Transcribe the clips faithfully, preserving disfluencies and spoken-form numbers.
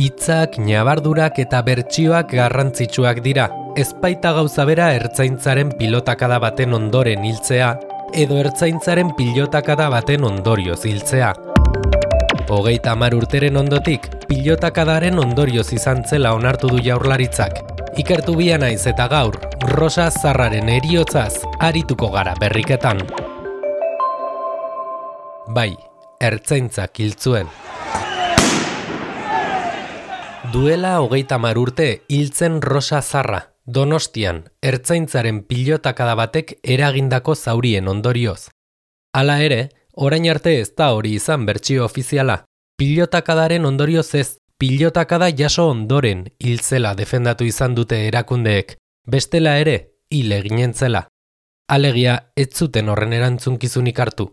Hitzak, ñabardurak eta bertsioak garrantzitsuak dira. Ez baita gauza bera ertzaintzaren pilotakada baten ondoren hiltzea, edo ertzaintzaren pilotakada baten ondorioz hiltzea. Hogeita hamar urteren ondotik, pilotakadaren ondorioz izan zela onartu du Jaurlaritzak. Ikertu bia naiz eta gaur, Rosa Zarraren heriotzaz arituko gara berriketan. Bai, ertzaintzak hil zuen. Duela hogeita hamar urte hiltzen Rosa Zarra, Donostian, ertzaintzaren pilotakada batek eragindako zaurien ondorioz. Hala ere, orain arte ez da hori izan bertsio ofiziala. Pilotakadaren ondorioz ez, pilotakada jaso ondoren hiltzela defendatu izan dute erakundeek, bestela ere, hil eginentzela. Alegia, ez zuten horren erantzunkizunik hartu.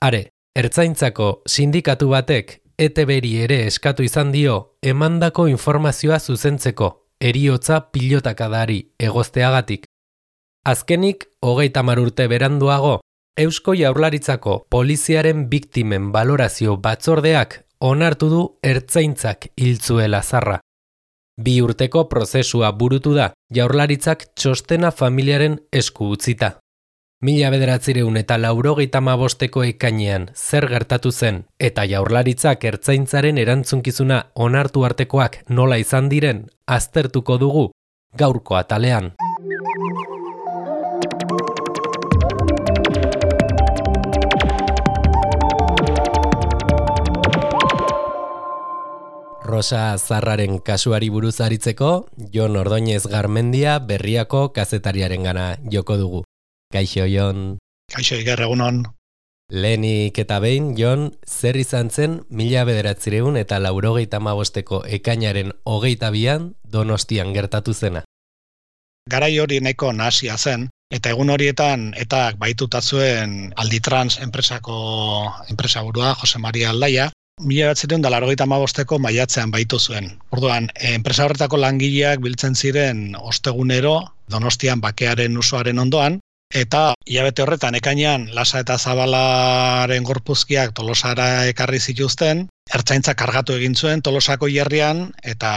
Are, ertzaintzako sindikatu batek E T B-ri ere eskatu izan dio emandako informazioa zuzentzeko, heriotza pilotakadari egozteagatik. Azkenik, hogeita hamar urte beranduago, Eusko Jaurlaritzako poliziaren biktimen balorazio batzordeak onartu du ertzaintzak hil zuela Zarra. Bi urteko prozesua burutu da, Jaurlaritzak txostena familiaren esku utzita. Mila bederatzireun eta laurogeita hamabosteko ekainean zer gertatu zen eta Jaurlaritzak ertzaintzaren erantzunkizuna onartu artekoak nola izan diren aztertuko dugu gaurko atalean. Rosa Zarraren kasuari buruz aritzeko, Jon Ordoñez Garmendia Berriako kazetariarengana joko dugu. Kaixo, Jon. Kaixo, Iker, egunon. Lehenik eta behin, Jon, zer izan zen mila bederatzireun eta laurogeita hamabosteko ekainaren hogeita bian Donostian gertatu zena. Garai hori nahiko nahasia zen, eta egun horietan etak baituta zuen Alditrans enpresako enpresaburua, Jose Maria Aldaia, mila bederatzireun eta laurogeita hamabosteko maiatzean baitu zuen. Orduan, enpresa horretako langileak biltzen ziren ostegunero Donostian bakearen usoaren ondoan, eta hilabete horretan ekainean Lasa eta Zabalaren gorpuzkiak Tolosara ekarri zituzten, ertzaintza kargatu egin zuen Tolosako hilerrian, eta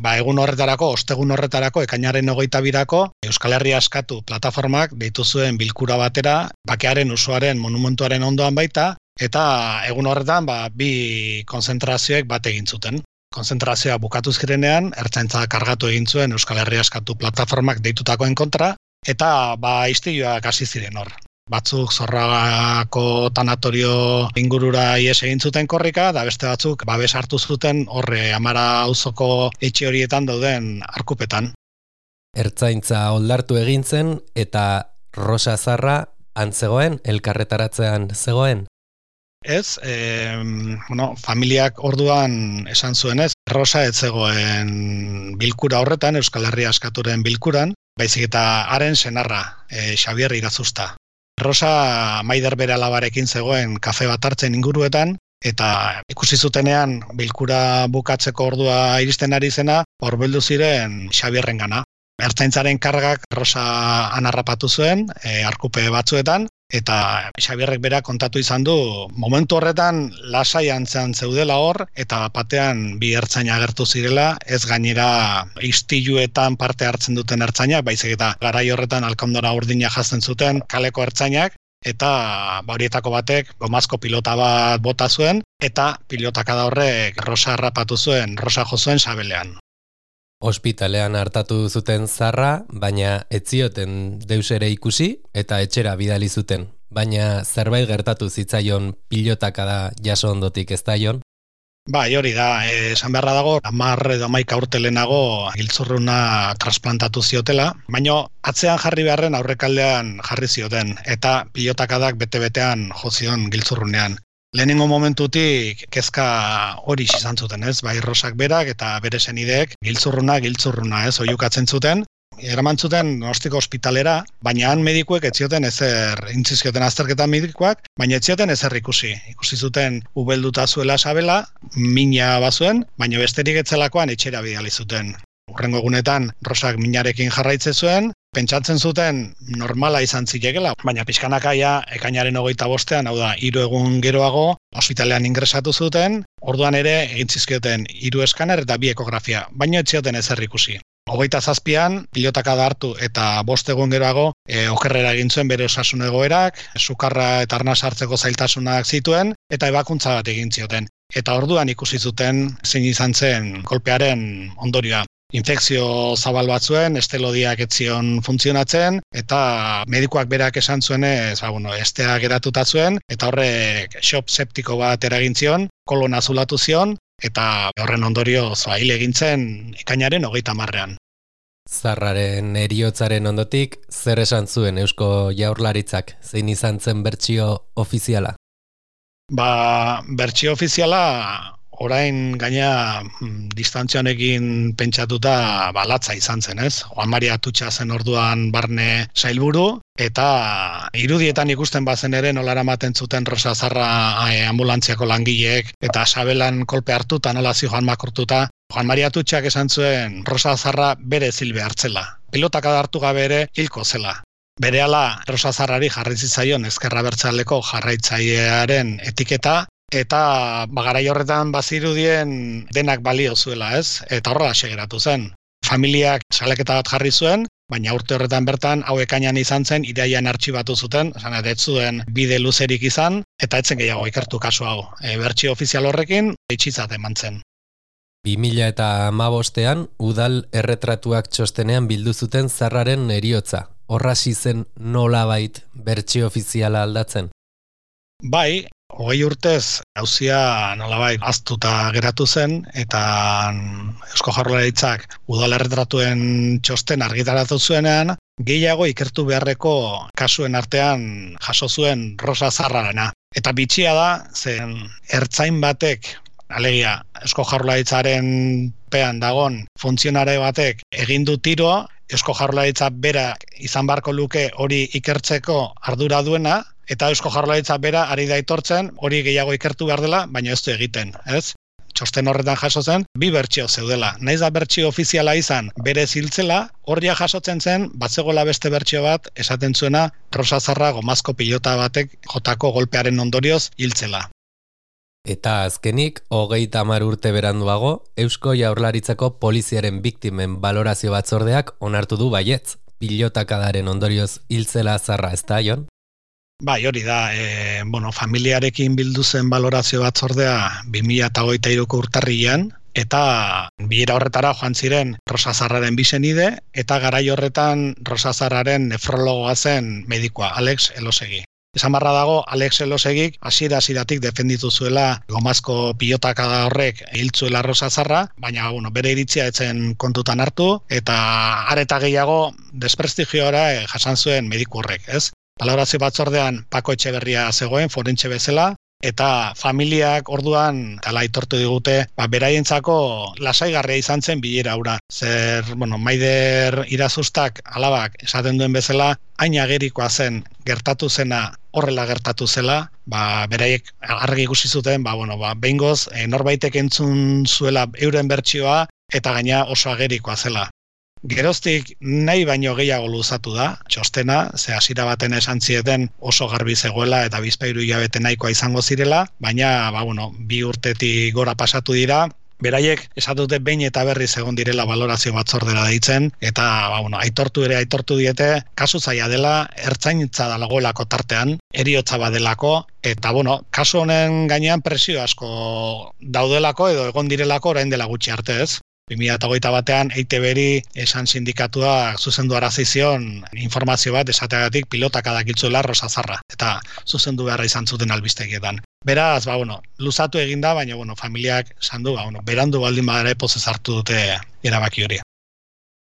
ba, egun horretarako, ostegun horretarako, ekainaren hogeita birako, Euskal Herria Askatu plataformak deitu zuen bilkura batera, bakearen usoaren monumentuaren ondoan baita, eta egun horretan ba, bi konzentrazioek bat egin zuten. Konzentrazioa bukatu zirenean, ertzaintza kargatu egin zuen Euskal Herria Askatu plataformak deitutakoen kontra, eta ba istiluak hasi ziren hor. Batzuk Zorragako tanatorio ingurura ihes egin zuten korrika, da beste batzuk babes hartu zuten horre Amara auzoko etxe horietan dauden arkupetan. Ertzaintza oldartu egin zen eta Rosa Zarra antzegoen, elkarretaratzean zegoen? Ez, e, bueno, familiak orduan esan zuenez, Rosa ez zegoen bilkura horretan, Euskal Herria Askaturen bilkuran, baizik eta haren senarra, e, Xabier Irazusta. Rosa Maider bere alabarekin zegoen kafe bat hartzen inguruetan, eta ikusi zutenean bilkura bukatzeko ordua iristen ari zena, hurbildu ziren Xabierrengana. Ertzaintzaren kargak Rosa anarrapatu zuen, e, arkupe batzuetan, eta Xabierrek bera kontatu izan du, momentu horretan lasai antzean zeudela hor, eta batean bi ertzaina agertu zirela, ez gainera istiluetan parte hartzen duten ertzainak, baizik eta garai horretan alkandora urdina jazten zuten kaleko ertzainak, eta horietako batek gomazko pilota bat bota zuen, eta pilotakada horrek Rosa harrapatu zuen, Rosa jo zuen sabelean. Ospitalean hartatu zuten Zarra, baina ez zioten deus ere ikusi eta etxera bidali zuten. Baina zerbait gertatu zitzaion pilotakada jaso ondotik, ez da, Jon? Bai, hori da, esan beharra dago, hamar edo hamaika urte lehenago giltzurruna trasplantatu ziotela, baina atzean jarri beharren aurrekaldean jarri zioten, eta pilotakadak bete-betean jo zion giltzurrunean. Lehenengo momentutik kezka hori izan zuten, ez? Bai Rosak berak eta bere senideek giltzurruna, giltzurruna, ez? Oihukatzen zuten. Eraman zuten Donostiko ospitalera, baina han medikuek ez zioten ezer, intzi zioten azterketa medikuak, baina ez zioten ezer ikusi. Ikusi zuten ubelduta zuela sabela, mina bazuen, baina besterik etzelakoan etxera bidali zuten. Hurrengo egunetan Rosak minarekin jarraitze zuen, Pentsatzen zuten normala izan zilegela, baina pixkanakaia ekainaren hogeita bostean, hau da, hiru egun geroago, ospitalean ingresatu zuten, orduan ere egin zizkioten hiru eskaner eta bi ekografia, baina ez zioten ezer ikusi. Hogeita zazpian, pilotakada hartu eta bost egun geroago, e, okerrera egin zuen bere osasun egoerak, sukarra eta arnas hartzeko zailtasunak zituen, eta ebakuntza bat egin zioten. Eta orduan ikusi zuten zein izan zen kolpearen ondorioa. Infekzio zabal bat zuen, estelodiak ez zion funtzionatzen, eta medikuak berak esan zuenez, ba, bueno, estea geratuta zuen, eta horrek shock septiko bat eragin zion, kolon azulatu zion, eta horren ondorioz ba, hil egin zen ekainaren hogeita hamarrean. Zarraren heriotzaren ondotik, zer esan zuen Eusko Jaurlaritzak, zein izan zen bertsio ofiziala? Ba, bertsio ofiziala orain gaina distantzia honekin pentsatuta balatza izan zen, ez? Juan Maria Atutxa zen orduan barne sailburu, eta irudietan ikusten bazen ere nola eramaten zuten Rosa Zarra eh, ambulantziako langileek, eta sabelan kolpe hartuta nola zijoan makurtuta. Juan Maria Atutxak esan zuen Rosa Zarra bere zilbe hartzela. Pilotakada hartu gabe ere hilko zela. Berehala Rosa Zarrari jarri zitzaion ezker abertzaleko jarraitzailearen etiketa, eta bagarai horretan bazirudien denak balio zuela, ez? Eta horrela segeratu zen. Familiak salaketa bat jarri zuen, baina urte horretan bertan hau ekainean izan zen, irailean artxibatu zuten, esan ez zuen bide luzerik izan, eta etzen gehiago ikertu kasu hau. E, bertsio ofizial horrekin itxitzat eman zen. bi mila hamabostean udal erretratuak txostenean bildu zuten Zarraren heriotza. Horrasi zen nolabait bertsio ofiziala aldatzen? Bai, hogei urtez auzia nolabait ahaztuta geratu zen, eta Eusko Jaurlaritzak udal erretratuen txosten argitaratu zuenean, gehiago ikertu beharreko kasuen artean jaso zuen Rosa Zarrarena. Eta bitxia da, zen ertzain batek, alegia Eusko Jaurlaritzaren pean dagon funtzionare batek egin du tiroa, Eusko Jaurlaritza berak izan beharko luke hori ikertzeko ardura duena, eta Eusko Jaurlaritza bera ari da aitortzen hori gehiago ikertu behar dela, baina ez du egiten, ez? Txosten horretan jaso zen, bi bertsio zeudela. Naiz da bertsio ofiziala izan bere ziltzela, horria jasotzen zen, batzegoela beste bertsio bat, esaten zuena Rosa Zarra gomazko pilota batek jotako golpearen ondorioz hiltzela. Eta azkenik, hogeita hamar urte beranduago, Eusko Jaurlaritzako poliziaren biktimen balorazio batzordeak onartu du baietz, pilotakadaren ondorioz hiltzela Zarra, ez da, Jon? Bai, hori da, e, bueno, familiarekin bildu zen balorazio batzordea bi mila hogeita hiruko urtarrilean, eta bilera horretara joan ziren Rosa Zarraren bi senide, eta garai horretan Rosa Zarraren nefrologoa zen medikua, Alex Elosegi. Esan barra dago, Alex Elosegik hasiera hasieratik defenditu zuela gomazko pilotakada horrek hiltzuela Rosa Zarra, baina bueno, bere iritzia etzen kontutan hartu, eta areta gehiago desprestigiora jasan zuen mediku horrek, ez? Balorazio batzordean Pako Etxeberria zegoen, forentxe bezala, eta familiak orduan tala aitortu digute, ba, beraientzako lasaigarria izan zen bilera hura. Zer, bueno, Maider Irazustak alabak esaten duen bezala, hain agerikoa zen gertatu zena horrela gertatu zela, ba, beraiek argi ikusi zuten, ba, bueno, ba, behingoz, e, norbaitek entzun zuela euren bertsioa, eta gaina oso agerikoa zela. Geroztik nahi baino gehiago luzatu da, txostena, ze hasiera baten esan zieten oso garbi zegoela eta bizpahiru hilabete nahikoa izango zirela, baina ba, bueno, bi urtetik gora pasatu dira, beraiek esatute behin eta berriz egon direla balorazio batzordera deitzen, eta ba, bueno, aitortu ere aitortu diete, kasu zaila dela, ertzaintza dagoelako tartean, heriotza badelako, eta bueno, kasu honen gainean presio asko daudelako edo egon direlako orain dela gutxi arte, ez? bi mila hogeita batean E I T B-ri esan sindikatuak zuzendu arazizion informazio bat esateagatik pilotakadak hiltzuela Rosa Zarra, eta zuzendu beharra izan zuten albistegietan. Beraz, ba, bueno, luzatu eginda, baina bueno, familiak esan du, ba, bueno, berandu baldin badare pozez hartu dute erabaki hori.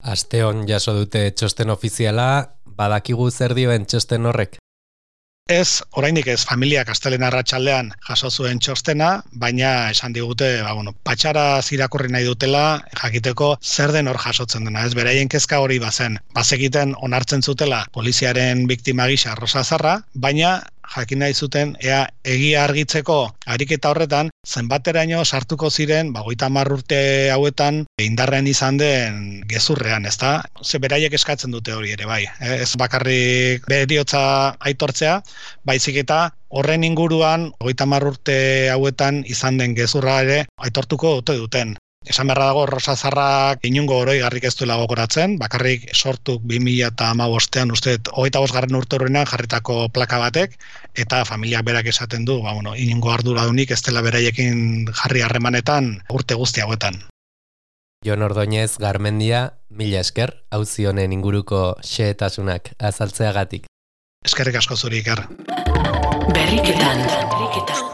Asteon jaso dute txosten ofiziala, badakigu zer dioen txosten horrek? Ez, oraindik ez, familiak astelehen arratsaldean jaso zuen txostena, baina esan digute, ba, bueno, patxara irakurri nahi dutela, jakiteko zer den hor jasotzen dena, ez, beraien kezka hori bazen. Bazekiten onartzen zutela poliziaren biktima gisa Rosa Zarra, baina jakin nahi zuten ea egia argitzeko ariketa horretan zenbateraino sartuko ziren ba hogeita hamar urte hauetan indarrean izan den gezurrean, ezta? Ze beraiek eskatzen dute hori ere bai, eh? Ez bakarrik heriotza aitortzea, baizik eta horren inguruan hogeita hamar urte hauetan izan den gezurra ere aitortuko dute duten. Esan beharra dago Rosa Zarrak inungo oroigarrik ez duela gogoratzen, bakarrik sortu bi mila hamabostean uste hogeita bosgarren urte horrenan jarritako plaka batek, eta familiak berak esaten du, ba, bueno, inungo arduradunik ez dela beraiekin jarri harremanetan urte guzti hauetan. Jon Ordóñez Garmendia, mila esker, auzi honen inguruko xehetasunak azaltzeagatik. Eskerrik asko zuri, Iker. Berriketan, berriketan.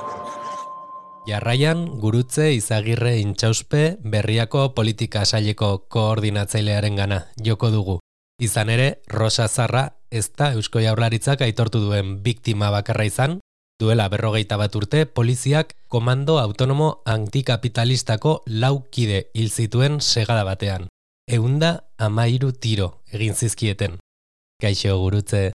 Jarraian, Gurutze Izagirre Intxauspe Berriako politika saileko koordinatzailearen gana joko dugu. Izan ere, Rosa Zarra ez da Eusko Jaurlaritzak aitortu duen biktima bakarra izan, duela berrogeita bat urte poliziak komando autonomo antikapitalistako lau kide hil zituen segada batean. Ehunda hamairu tiro egin zizkieten. Kaixo, Gurutze.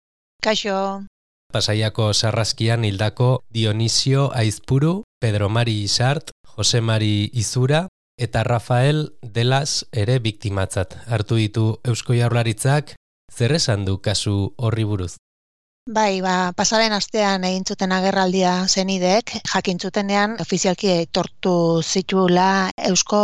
Kaixo. Pasaiako sarraskian hildako Dionisio Aizpuru, Pedro Mari Isart, Jose Mari Izura eta Rafael Delas ere biktimatzat hartu ditu Eusko Jaurlaritzak. Zer esan du kasu horri buruz? Bai, ba, pasaren astean egin zuten agerraldia zenidek, jakin zutenean ofizialki aitortu zituela Eusko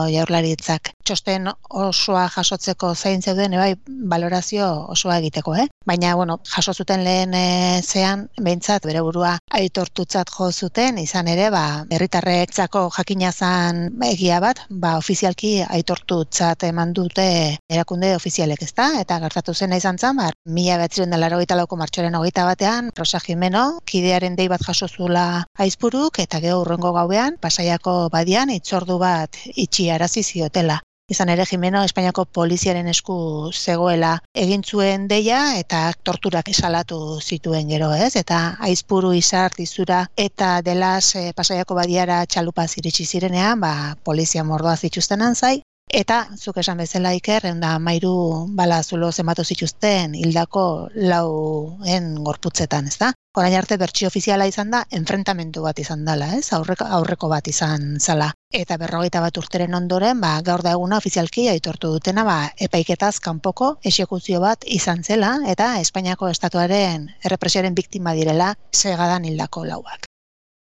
Jaurlaritzak. Txosten osoa jasotzeko zain zeuden, bai, balorazio osoa egiteko, eh? Baina, bueno, jaso zuten lehen e, zean, behintzat bere burua aitortutzat jo zuten, izan ere, ba, herritarretzako jakina zan egia bat, ba, ofizialki aitortutzat eman dute erakunde ofizialek, ezta? Eta gertatu zena izan zan, ba, mila bederatziehun eta laurogeita lauko martxoaren hogeita batean, Rosa Jimeno, kidearen dei bat jaso zula Aizpuruk, eta gero hurrengo gauean, Pasaiako badian, itzordu bat itxiarazi ziotela. Izan ere Jimeno Espainiako poliziaren esku zegoela egin zuen deia eta torturak esalatu zituen gero, ez? Eta Aizpuru, Isart, Izura eta Delas e, Pasaiako badiara txalupaz iritsi zirenean, ba, polizia mordoa zituzten anzai. Eta, zuk esan bezala Iker, da mairu bala zulo zenbatu zituzten hildako lauen gorputzetan, ez da? Orain arte bertsio ofiziala izan da, enfrentamendu bat izan dela, ez? Aurreko, aurreko bat izan zala. Eta berrogeita bat urteren ondoren, ba, gaur da eguna ofizialki aitortu dutena, ba, epaiketaz kanpoko exekuzio bat izan zela, eta Espainiako estatuaren errepresioaren biktima direla segadan hildako lauak.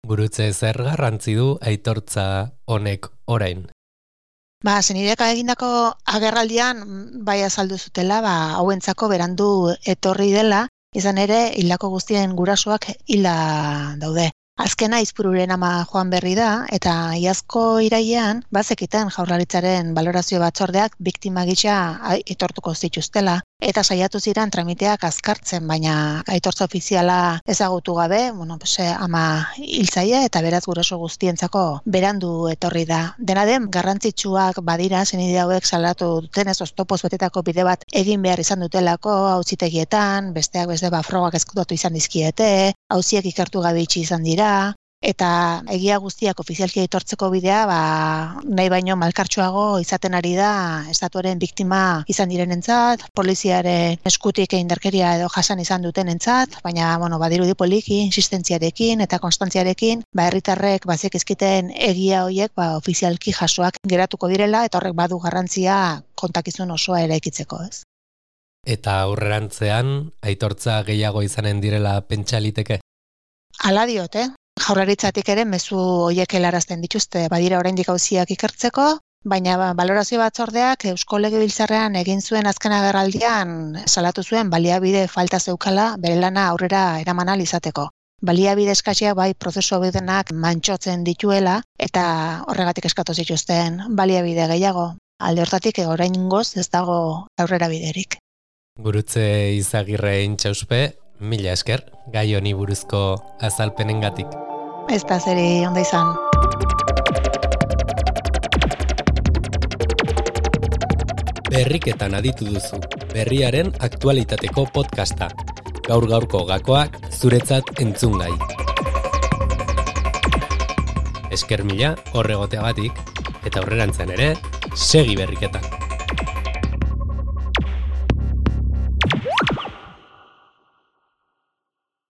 Gurutze, zer garrantzi du aitortza honek orain? Ba, zenideka egindako agerraldian bai azaldu zutela, ba, hauentzako berandu etorri dela, izan ere hildako guztien gurasoak hilda daude. Azkena Aizpururen ama joan berri da, eta iazko irailean, bazekiten Jaurlaritzaren balorazio batzordeak biktima gisa aitortuko zituztela, eta saiatu ziren tramiteak azkartzen, baina aitortza ofiziala ezagutu gabe, bueno, pues, ama hiltzaile eta beraz guraso guztientzako berandu etorri da. Dena den, garrantzitsuak badira, zenide hauek salatu dutenez oztopoz betetako bide bat egin behar izan dutelako, auzitegietan, besteak beste ba frogak ezkutatu izan dizkiete, auziak ikertu gabe itxi izan dira, eta egia guztiak ofizialki aitortzeko bidea, ba, nahi baino malkartsuago izaten ari da estatuaren biktima izan direnentzat, poliziaren eskutik indarkeria edo jasan izan dutenentzat, baina bueno, badirudi poliki, insistentziarekin eta konstantziarekin, ba herritarrek bazik ezkiten egia horiek ba ofizialki jasoak geratuko direla eta horrek badu garrantzia kontakizun osoa eraikitzeko, ez? Eta aurrerantzean aitortza gehiago izanen direla pentsa liteke? Hala diot, eh? Jaurlaritzatik ere mezu horiek helarazten dituzte, badira oraindik auziak ikertzeko, baina ba, balorazio batzordeak Eusko Legebiltzarrean egin zuen azken agerraldian salatu zuen baliabide falta zeukala bere lana aurrera eraman ahal izateko. Baliabide eskatsiak bai prozesu hobedenak mantxotzen dituela eta horregatik eskatu zituzten baliabide gehiago. Alde hortatik oraingoz ez dago aurrera biderik. Gurutze Izagirre Intxauspe, mila esker, gai honi buruzko azalpenengatik. Ez da zeri ondo izan. Berriketan aditu duzu, berriaren aktualitateko podcasta. Gaur gaurko gakoak zuretzat entzungai. Esker mila horregoteagatik, eta aurrerantzean ere, segi berriketan.